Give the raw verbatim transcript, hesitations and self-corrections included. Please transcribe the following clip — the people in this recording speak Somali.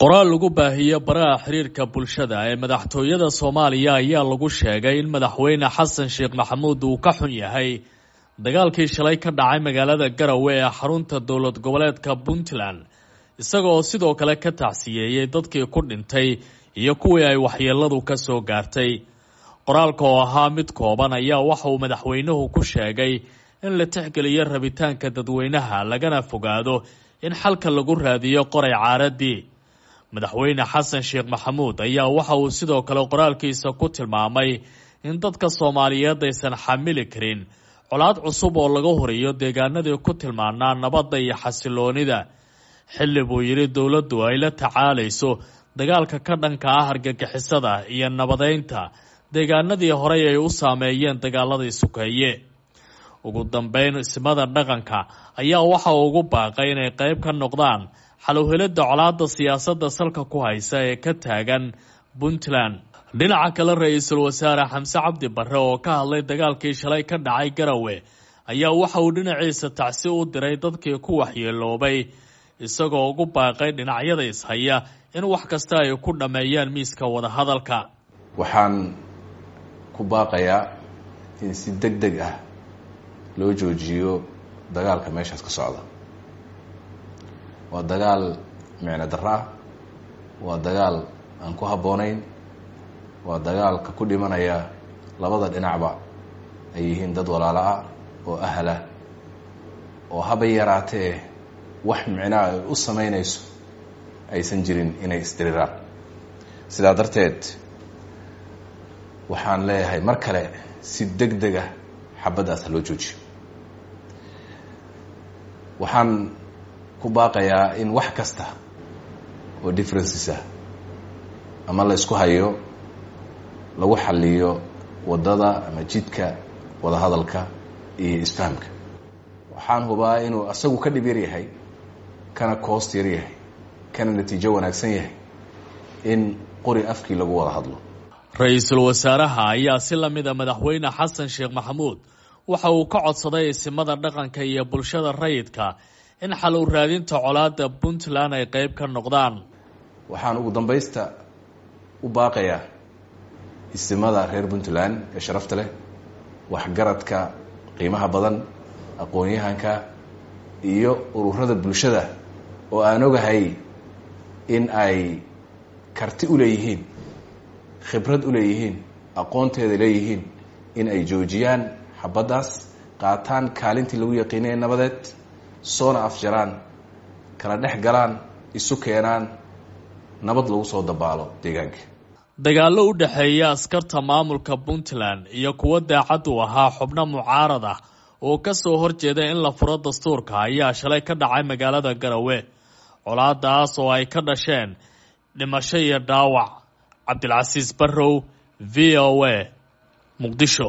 Qoraal lagu baahiye baraha xiriirka bulshada ee madaxtooyada Soomaaliya ayaa lagu sheegay in madaxweyne Xasan Sheekh Maxamuud uu ka xun yahay dagaalkii shalay ka dhacay magaalada Garowe ee xarunta dowlad goboleedka Puntland, isagoo sidoo kale ka tacsiyeeyey dadkii ku dhintay iyo kuwii ay waxyeeladu ka soo gaartay. Qoraalka oo ahaa mid kooban ayaa waxa uu madaxweynuhu ku sheegay in la tixgeliyo rabitaanka dadweynaha, lagana fogaado in xalka lagu raadiyo qoray caaradii. Madaxweyne Xasan Sheekh Maxamuud ayaa waxa uu sidoo kale qoraalkiisa ku tilmaamay in dadka Soomaaliyeed aysan xamili karin colaad cusub oo laga horiyo deegaanadii ku tilmaanaa nabadda iyo xasiloonida, xilli buu yidhi dowladdu ay la tacaalayso dagaalka ka dhanka ah argagixisada iyo nabadeynta deegaanadii horey ay u saameeyeen dagaaladii sukeeye. Ugu dambeyn, ismada dhaqanka ayaa waxa uu ugu baaqay inay qayb ka noqdaan xaluhelidda colaadda siyaasadda salka ku haysa ee ka taagan Puntland. Dhinaca kale, ra-iisul wasaare Xamse Cabdi Barre oo ka hadlay dagaalkii shalay ka dhacay Garowe ayaa waxa uu dhinaciisa tacsi u diray dadkii ku waxyeeloobay, isagoo ugu baaqay dhinacyada ishaya in wax kasta ay ku dhammeeyaan miiska wadahadalka. Waxaan ku baaqayaa in si deg deg ah loo joojiyo dagaalka meeshaas ka socda. Waa dagaal micno darro ah, waa dagaal aan ku habboonayn, waa dagaalka ku dhimanaya labada dhinacba ay yihiin dad walaalo ah oo ahlah oo haba yaraatee wax micnaha ay u samaynayso aysan jirin inay isdiriraan. Sidaa darteed waxaan leeyahay mar kale, si deg deg ah xabaddaas ha loo joojiyo. Waxaan ku baaqayaa in wax kasta oo differences ah ama la isku hayo lagu xaliyo waddada ama jidka wadahadalka iyo isfahamka. Waxaan hubaa inuu asagu ka dhib yar yahay, kana koost yar yahay, kana natiijo wanaagsan yahay in qori afkii lagu wada hadlo. Ra-iisul wasaaraha ayaa si lamida madaxweyne Xasan Sheekh Maxamuud waxa uu ka codsaday isimada dhaqanka iyo bulshada rayidka in xal u raadinta colaadda Puntland ay qayb ka noqdaan. Waxaan ugu dambaysta u baaqayaa isimada reer Puntland ee sharafta leh, waxgaradka qiimaha badan, aqoon-yahanka iyo ururada bulshada oo aan ogahay in ay karti u leeyihiin, khibrad u leeyihiin, aqoonteeda leeyihiin, in ay joojiyaan xabaddaas, qaataan kaalintii lagu yaqiinay nabadeed, soona afjaraan, kala dhex galaan, isu keenaan, nabad lagu soo dabaalo deegaanka. Dagaallo u dhexeeya askarta maamulka Puntland iyo kuwo daacad u ahaa xubno mucaarad ah oo ka soo horjeeda in la furo dastuurka ayaa shalay ka dhacay magaalada Garowe, colaadaas oo ay ka dhasheen dhimasho iyo dhaawac. Cabdilcasiis Barrow, V O A, Muqdisho.